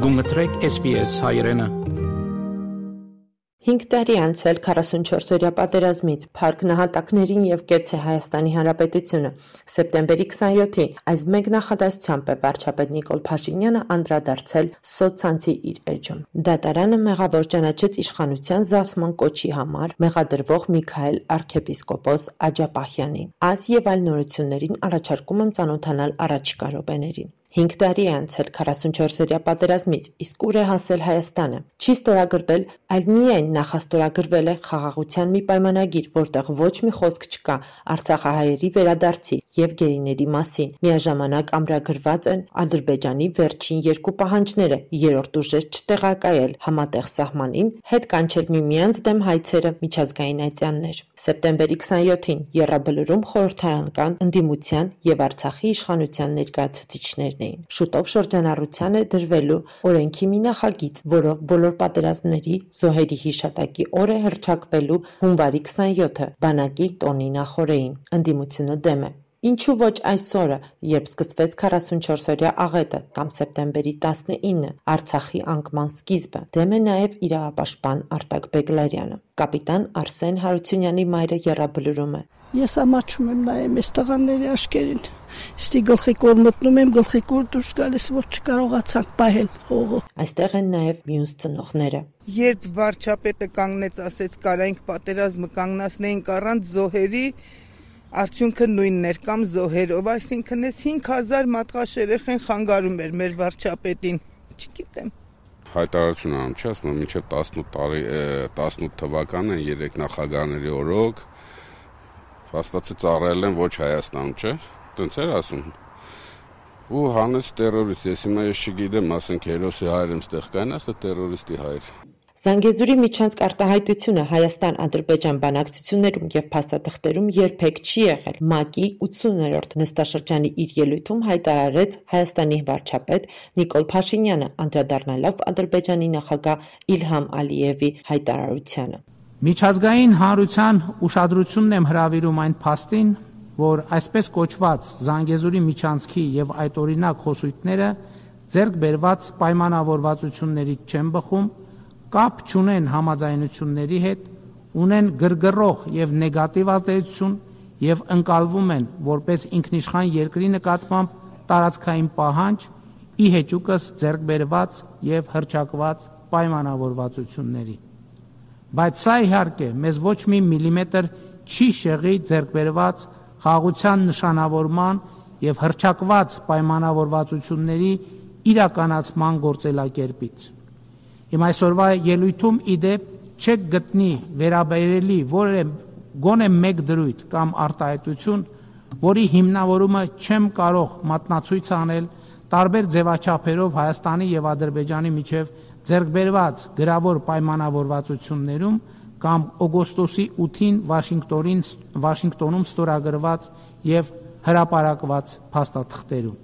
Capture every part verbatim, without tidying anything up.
Գումտրեք S B S հայրենը։ Հինգ տարի անցել քառասունչորսօրյա պատերազմից, փառք նահատակներին եւ կեցե Հայաստանի Հանրապետությունը։ Սեպտեմբերի քսանյոթին այս մեկ նախադասությամբ է վարչապետ Նիկոլ Փաշինյանը անդրադարձել սոցցանցի իր էջում։ Դատարանը մեղավոր ճանաչեց իշխանության զսպման կոչի համար մեղադրվող Միքայել arczepiskopos Աջապահյանին։ Այս եւ այլ նորություններին առաջարկում եմ ծանոթանալ առաջիկա րոպեներին։ Հինգ տարի է անցել քառասունչորսօրյա պատերազմից, իսկ ուր է հասել Հայաստանը։ Չի ստորագրվել, այլ միայն նախաստորագրվել է խաղաղության մի պայմանագիր, որտեղ ոչ մի խոսք չկա արցախահայերի վերադարձի եւ գերիների մասին։ Միաժամանակ ամրագրված են Ադրբեջանի վերջին երկու պահանջները՝ երրորդ ուժեր չտեղակայել համատեղ սահմանին, հետ կանչել միմյանց դեմ հայցերը, միջազգային այցյաններ։ Սեպտեմբերի քսանյոթին Եռաբլուրում խորհրդարանական ընդդիմության եւ Արցախի իշխանության ներկայացուցիչներն էին։ Շուտով շրջանառության է դրվելու օրենքի մի նախագիծ, որով բոլոր պատերազմների զոհերի հիշատակի օրը հռչակվելու հունվարի քսանյոթը բանակի տոնի նախօրեին։ Ընդդիմությունը դեմ է։ Ինչու ոչ այսօրը, երբ սկսվեց քառասունչորսօրյա աղետը կամ սեպտեմբերի տասնինը, Արցախի անկման սկիզբը, դեմ է նաև իրավապաշտպան Արտակ Բեգլարյանը։ Կապիտան Արսեն Հարությունյանի մայրը Եռաբլուրում է։ Ես ամաչում եմ նայեմ այս տղաների աշկերին։ Ստի գլխի կոր մտնում եմ, գլխի կոր դուրս գալիս, որ չկարողացանք պահել հողը։ Այստեղ են նաև մյուս ծնողները։ Երբ վարչապետը կանգնեց, ասեց կարայինք պատերազմը կանգնացնեինք առանց զոհերի, արդյունքը նույնն էր կամ զոհերով, այսինքն այս հինգ հազար մատղաշ երեխեն խանգարում էր մեր վարչապետին, չգիտեմ։ Հայտարարություն անում չի, ասում եմ մինչև տասնութ տարի տասնութ թվականը երեք նախագահների օրոք փաստացի ծառայել են ոչ Հայաստանում, չէ՞։ Տենց էր ասում։ Ու հանեց տերորիստ, ես հիմա ես չգիտեմ, ասենք հերոսի հայր եմ ստեղ կային, ասա տերորիստի հայր։ Զանգեզուրի միջանցք արտահայտությունը Հայաստան-Ադրբեջան բանակցություններում եւ փաստաթղթերում երբեք չի եղել։ ՄԱԿ-ի ութսուններորդ նստաշրջանի իր ելույթում հայտարարեց Հայաստանի վարչապետ Նիկոլ Փաշինյանը, անդրադառնալով Ադրբեջանի նախագահ Իլհամ Ալիևի հայտարարությանը։ Միջազգային հանրության ուշադրությունն եմ հրավիրում այն փաստին, որ այսպես կոչված Զանգեզուրի միջանցքի եւ այդօրինակ խոսույթները ձեռք բերված պայմանավորվածություններից չեն բխում, կապ չունեն համաձայնությունների հետ, ունեն գրգռող եւ նեգատիվ ազդեցություն եւ ընկալվում են որպես ինքնիշխան երկրի նկատմամբ տարածքային պահանջ, ի հեճուկս ձեռք բերված եւ հռչակված պայմանավորվածությունների։ Բայց սա իհարկե մեզ ոչ մի միլիմետր չի շեղի ձեռք բերված խաղաղության նշանավորման եւ հռչակված պայմանավորվածությունների իրականացման գործելակերպից։ Իմ այսօրվա ելույթում իդեպ չեք գտնի վերաբերելի որևէ գոնե մեկ դրույթ կամ արտահայտություն, որի հիմնավորումը չեմ կարող մատնացույց անել տարբեր ձևաչափերով Հայաստանի եւ Ադրբեջանի միջև ձեռք բերված գրավոր պայմանավորվածություններում կամ օգոստոսի ութին Վաշինգտոնին Վաշինգտոնում ստորագրված եւ հրապարակված փաստաթղթերում։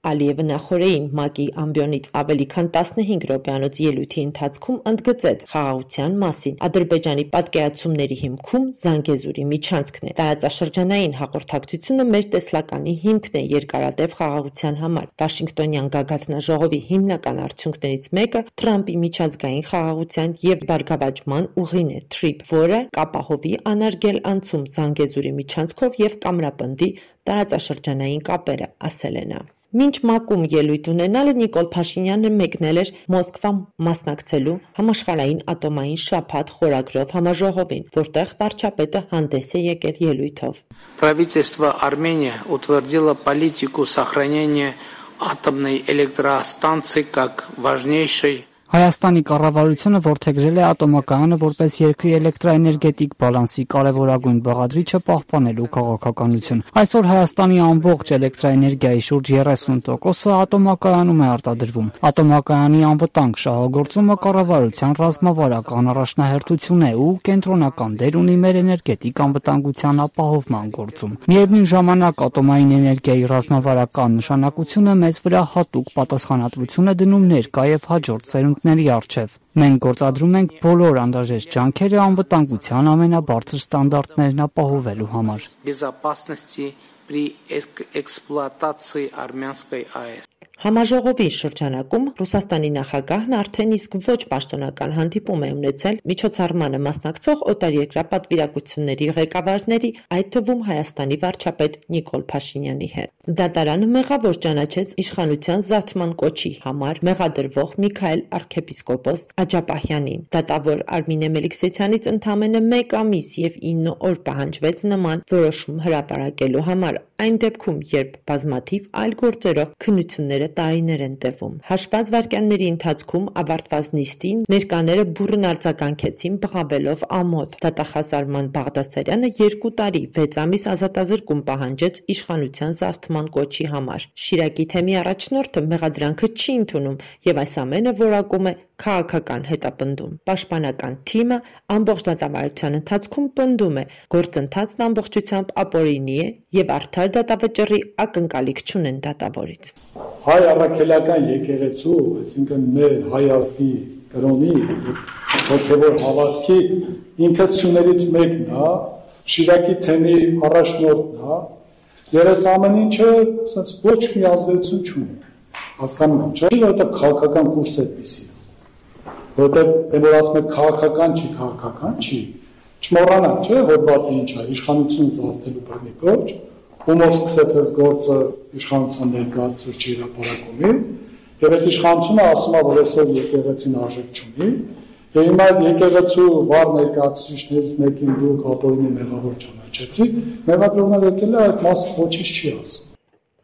Ալիևը նախօրեին ՄԱԿ-ի ամբիոնից ավելի քան տասնհինգ րոպեանոց ելույթի ընթացքում ընդգծեց խաղաղության մասին։ Ադրբեջանի պատկերացումների հիմքում Զանգեզուրի միջանցքն է։ Տարածաշրջանային հաղորդակցությունը մեր տեսլականի հիմքն է երկարատև խաղաղության համար։ Վաշինգտոնյան գագաթնաժողովի հիմնական արդյունքներից մեկը Թրամփի միջազգային խաղաղության եւ բարգավաճման ուղին է թրիփ, որը կապահովի անարգել անցում Զանգեզուրի միջանցքով եւ կամրապնդի տարածաշրջանային կապերը, ասել է նա։ Մինչ ՄԱԿ-ում ելույթ ունենալը Նիկոլ Փաշինյանը մեկնել էր Մոսկվա մասնակցելու համաշխարհային ատոմային շաբաթ խորագրով համաժողովին, որտեղ վարչապետը հանդես է եկել ելույթով։ Правительство Армении утвердило политику сохранения атомной электростанции как важнейшей Հայաստանի կառավարությունը որդեգրել է ատոմակայանը որպես երկրի էլեկտրաէներգետիկ բալանսի կարևորագույն բաղադրիչը պահպանելու քաղաքականություն։ Այսօր Հայաստանի ամբողջ էլեկտրաէներգիայի շուրջ երեսուն տոկոսը ատոմակայանում է արտադրվում։ Ատոմակայանի անվտանգ շահագործումը կառավարության ռազմավարական առաջնահերթություն է ու կենտրոնական դեր ունի մեր էներգետիկ անվտանգության ապահովման գործում։ Միևնույն ժամանակ ատոմային էներգիայի ռազմավարական նշանակությունը մեզ վրա հատուկ պատասխանատվություն է դնում ներկա եւ հաջորդ սերունդների առջև։ Մենք գործադրում ենք բոլոր անհրաժեշտ ջանքերը անվտանգության ամենաբարձր ստանդարտներն ապահովելու համար։ Безопасности при эксплуатации армянской АЭС։ Համաժողովի շրջանակում Ռուսաստանի նախագահն արդեն իսկ ոչ պաշտոնական հանդիպում է ունեցել միջոցառմանը մասնակցող օտարերկրյա պատվիրակությունների ղեկավարների, այդ թվում Հայաստանի վարչապետ Նիկոլ Փաշինյանի հետ։ Դատարանը մեղավոր ճանաչեց իշխանության զարթման կոչի համար մեղադրվող Միքայել arczepiskopos Աջապահյանին։ Դատավոր Արմինե Մելիքսեթյանից ընդամենը մեկ ամիս եւ ինը օր պահանջվեց նման որոշում հրապարակելու համար, այն դեպքում, երբ բազմաթիվ այլ գործերով քննությունները տարիներ են տևում։ Հաշված վայրկյանների ընթացքում ավարտված նիստին ներկաները բուռն արձագանքեցին բղավելով ամոթ։ Դատախազ Արման Բաղդասարյանը երկու տարի վեց ամիս ազատազրկում պահանջեց իշխանության զարթման կոչի համար։ Շիրակի թեմի առաջնորդը մեղադրանքը չի ընդունում եւ այս ամենը որակում է քաղաքական հետապնդում։ Պաշտպանական թիմը ամբողջ դատավարության ընթացքում պնդում է, գործընթացն ամբողջությամբ ապօրինի է եւ արդար դատավճռի ակնկալիք չունեն դատավորից։ Հայ առաքելական եկեղեցու, այսինքն մեր հայ ազգի կրոնի հոգևոր հավատքի ինքնություններից մեկն է, Շիրակի թեմի առաջնորդն է, եւ այս ամեն ինչը ասած ոչ մի ազդեցություն չունի։ Հասկանում եք, չէ՞, որովհետեւ քաղաքական կուրս է դիսի։ Որովհետեւ որ ասում եք քաղաքական չի, քաղաքական չի։ Չմոռանանք, չէ՞, հոդվածը ինչ է, իշխանություն զարթելու բռնի գործ, ումով սկսեց այս գործը իշխանության ներկայացուցիչի հրապարակումից, եւ այդ իշխանությունը ասում է, որ այսօր եկեղեցին արժեք չունի, եւ հիմա այդ եկեղեցու վառ ներկայացուցիչներից մեկին դուք ապօրինի մեղավոր ճանաչեցիք, մեղադրողները եկել է այդ մասը ոչինչ չի ասում։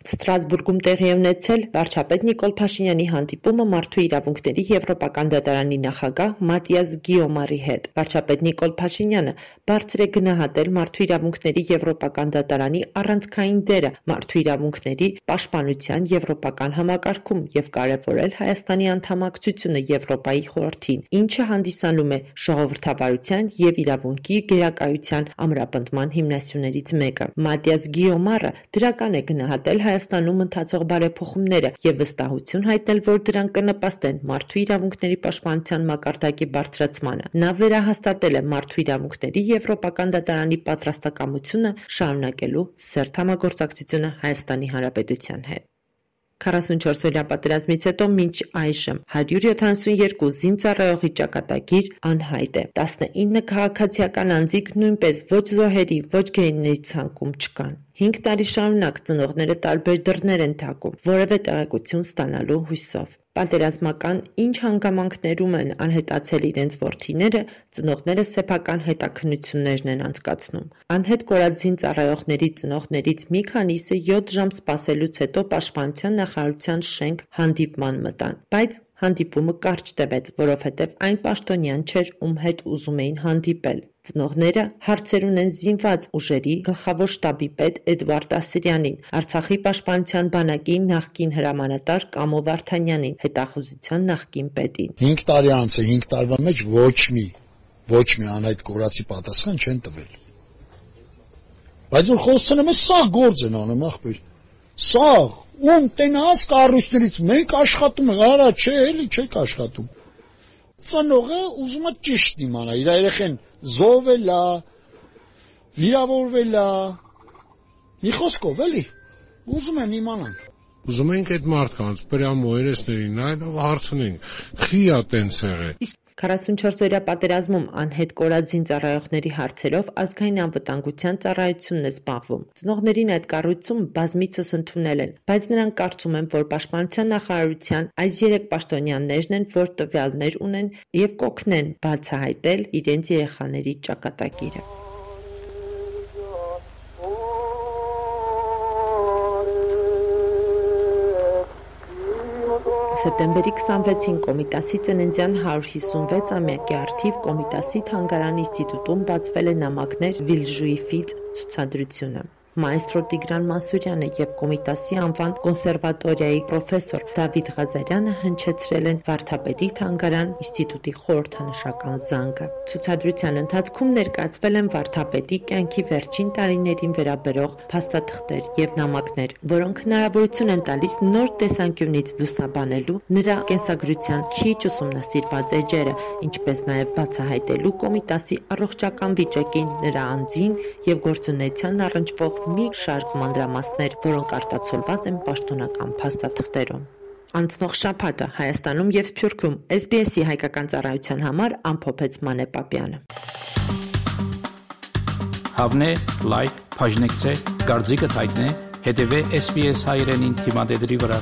Ստրասբուրգում տեղի ունեցել վարչապետ Նիկոլ Փաշինյանի հանդիպումը Մարդու իրավունքների Եվրոպական դատարանի նախագահ Մատիաս Գիոմարի հետ։ Վարչապետ Նիկոլ Փաշինյանը բարձր է գնահատել Մարդու իրավունքների Եվրոպական դատարանի առանցքային դերը մարդու իրավունքների պաշտպանության եվրոպական համակարգում եւ կարեւորել Հայաստանի անդամակցությունը Եվրոպայի խորհրդին, ինչը հանդիսանում է ժողովրդավարության եւ իրավունքի գերակայության ամրապնդման հիմնասյուներից մեկը։ Մատիաս Գիոմարը դրական է գնահատել Հայաստանում ընթացող բարեփոխումները եւ վստահություն հայտնել, որ դրանք կնպաստեն մարդու իրավունքների պաշտպանության մակարդակի բարձրացմանը։ Նա վերահաստատել է մարդու իրավունքների Եվրոպական դատարանի պատրաստակամությունը շարունակելու սերտ համագործակցությունը Հայաստանի Հանրապետության հետ։ քառասունչորս-օրյա պատերազմից հետո մինչ այժմ հարյուր յոթանասունյոթ զինծառայողի ճակատագիր անհայտ է։ տասնինը քաղաքացիական անձիկ նույնպես ոչ զոհերի, ոչ գերիների ցանկում չկան։ Հինգ տարի շարունակ ծնողները տարբեր դռներ են թակում, որևէ տեղեկություն ստանալու հույսով։ Պատերազմական ինչ հանգամանքներում են անհետացել իրենց որդիները, ծնողները սեփական հետաքննություններն են անցկացնում։ Անհետ կորած զինծառայողների ծնողներից մի քանիսը յոթ ժամ սպասելուց հետո Պաշտպանության նախարարության շենք հանդիպման մտան, բայց հանդիպումը կարճ տևեց, որովհետև այն պաշտոնյան չէր, ում հետ ուզում էին հանդիպել։ Ծնողները հարցեր ունեն զինված ուժերի գլխավոր շտաբի պետ Էդվարդ Ասիրյանին, Արցախի պաշտպանության բանակի նախկին հրամանատար Կամո Վարդանյանին, հետախուզության նախկին պետին։ հինգ տարի անց է, հինգ տարվա մեջ ոչ մի, ոչ մի անհայտ կորածի պատասխան չեն տվել։ Բայց որ խոսում եմ, սա գործ են անում, ախպեր։ Սա ում տենաս կառույցներից մենք աշխատում ենք, արա չէ, էլի չեք աշխատում։ Ծնողը ուզում է ճիշտ իմանա, իր երեխեն զոհվել է, վիրավորվել է, մի խոսքով էլի, ուզում են իմանան։ Ուզում ենք այդ մարդկանց պրյամո երեսներին նայելով հարցնենք, խի է տենց եղել։ քառասունչորս-օրյա պատերազմում անհետ կորած զինծառայողների հարցերով ազգային անվտանգության ծառայությունն է զբաղվում։ Ծնողներին այդ կառույցում բազմիցս ընդունել են, բայց նրանք կարծում են, որ Պաշտպանության նախարարության այս երեք պաշտոնյաներն են, որ տվյալներ ունեն եւ կօգնեն բացահայտել իրենց երեխաների ճակատագիրը։ Սեպտեմբերի քսանվեցին Կոմիտասի ծննդյան հարյուր հիսունվեց-ամյակի առթիվ Կոմիտասի թանգարան ինստիտուտում բացվել է նամակներ Վիլժուի ֆիծ ցուցադրությունը։ Մայստրո Տիգրան Մանսուրյանը եւ Կոմիտասի անվան կոնսերվատորիայի պրոֆեսոր Դավիթ Ղազարյանը հնչեցրել են Վարդապետի թանգարան ինստիտուտի խորհրդանշական զանգը։ Ցուցադրության ընթացքում ներկայացվել են Վարդապետի կյանքի վերջին տարիներին վերաբերող փաստաթղթեր եւ նամակներ, որոնք հնարավորություն են տալիս նոր տեսանկյունից լուսաբանելու նրա կենսագրության քիչ ուսումնասիրված էջերը, ինչպես նաեւ բացահայտելու Կոմիտասի առողջական վիճակին, նրա անձին եւ գործունեության առնչվող մի շարք մանրամասներ, որոնք արտացոլված են պաշտոնական փաստաթղթերում։ Անցնող շաբաթը Հայաստանում եւ Սփյուռքում S B S-ի հայկական ծառայության համար ամփոփեց Մանե Պապյանը։ Հավնե, լայք, բաժնեկցե, դարձիկը թայտնե, հետեւե S B S հայրենին թիմադեդի վրա։